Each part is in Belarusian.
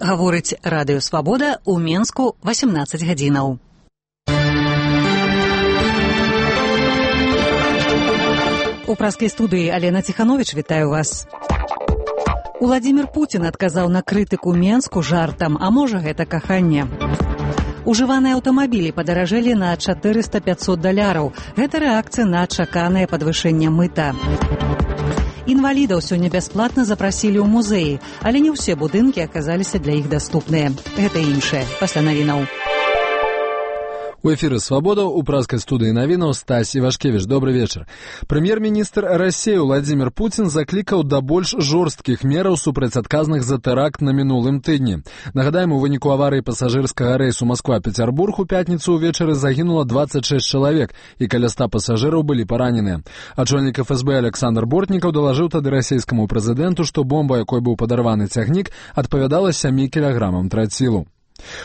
Гаворыць радыё «Свабода» ў Менску 18 гадзінаў. У праскай студыі Алена Ціхановіч вітаю вас. Уладзімір Пуцін адказаў на крытыку Менску жартам, а можа гэта каханне. Ужываныя аўтамабілі падаражэлі на $400–500. Гэта рэакцыя на чаканае падвышэнне мыта. Інвалідаў сёння бясплатна запрасілі ў музеі, але не ўсе будынкі аказаліся для іх даступныя. Гэта іншае пасля навінаў. У эфіры «Свабода» у праскай студыі навінаў Стась Івашкевіч. Добрый вечар. Прэм'ер-міністр Расіі Уладзімір Пуцін заклікаў да больш жорсткіх мераў супраць адказных за тэракт на мінулым тыдні. Нагадаем, у выніку аварыі пасажырскага рэйсу Масква-Пецярбург у пятніцу ўвечары загінула 26 чалавек, і каля 100 пасажыраў былі параненыя. Ачальнік ФСБ Александр Бортнікаў далажыў тады расійскаму прэзідэнту, што бомба, якой быў падарваны цягнік, адпавядала 7 кілаграмам трацілу.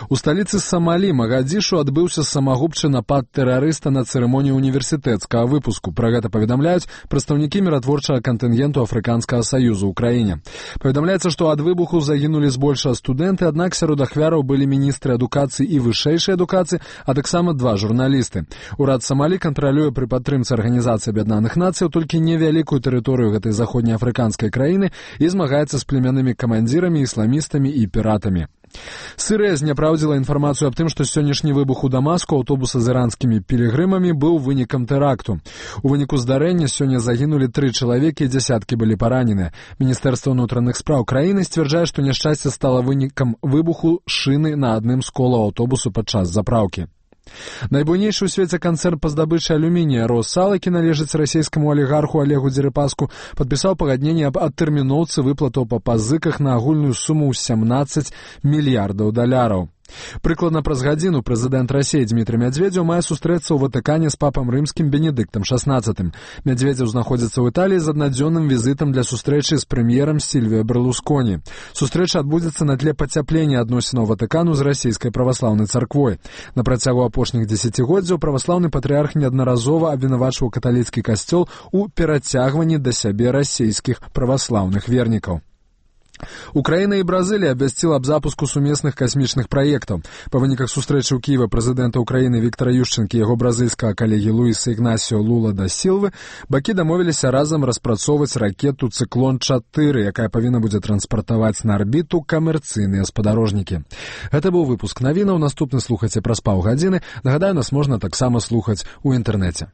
У сталіцы Самалі, Магадзішу, адбыўся самагубчы напад тэрарыста на цырымонію універсітэцкага выпуску. Пра гэта паведамляюць прадстаўнікі міратворчага кантынгенту Афрыканскага саюзу ў краіне. Паведамляецца, што ад выбуху загінулі збольшага студэнты, аднак сярод ахвяраў былі міністры адукацыі і вышэйшай адукацыі, а таксама 2 журналісты. Урад Самалі кантралюе пры падтрымцы Арганізацыі Аб'яднаных Нацыяў толькі невялікую тэрыторыю гэтай заходнеафрыканскай краіны і змагаецца з племяннымі камандзірамі, ісламістамі і піратамі. Сырыя зняпраўдзіла інфармацыю аб тым, што сённяшні выбух у Дамаску аўтобуса з іранскімі пілігрымамі быў вынікам тэракту. У выніку здарэння сёння загінулі 3 чалавекі і дзясяткі былі параненыя. Міністэрства ўнутраных спраў краіны сцвярджае, што няшчасце стала вынікам выбуху шыны на адным з колаў аўтобусу падчас запраўкі. Найбуйнейшы ў свеце канцэрн па здабычы алюмінія «Россал», які належыць расійскаму алігарху Олегу Дзерыпаску, падпісаў пагадненне аб адтэрміноўцы выплатаў па пазыках на агульную суму ў $17 мільярдаў. Прыкладна праз гадзіну прэзідэнт Расіі Дмітрый Мядзведзеў мае сустрэцца ў Ватыкане з папам рымскім Бенедыктам XVI. Мядзведзеў знаходзіцца ў Італіі з аднадзённым візітам для сустрэчы з прэм'ерам Сільвіа Берлусконі. Сустрэча адбудзецца на тле пацяплення адносінаў Ватыкану з расійскай праваслаўнай царквой. На працягу апошніх дзесяцігоддзяў праваслаўны патрыарх неаднаразова абвінавачваў каталіцкі касцёл у перацягванні да сябе расійскіх праваслаўных вернікаў. Украіна і Бразылія абвясціла аб запуску сумесных касмічных праектаў. Па выніках сустрэчы ў Кієве прэзідэнта Украіны Віктара Ющэнкі і яго бразыльскага калегі Луіса Ігнасіо Лула да Сілвы бакі дамовіліся разам распрацоўваць ракету «Цыклон-4», якая павінна будзе транспартаваць на арбіту камерцыйныя спадарожнікі. Гэта быў выпуск навінаў. Наступны слухайце праз паўгадзіны. Нагадаю, нас можна таксама слухаць у інтэрнэце.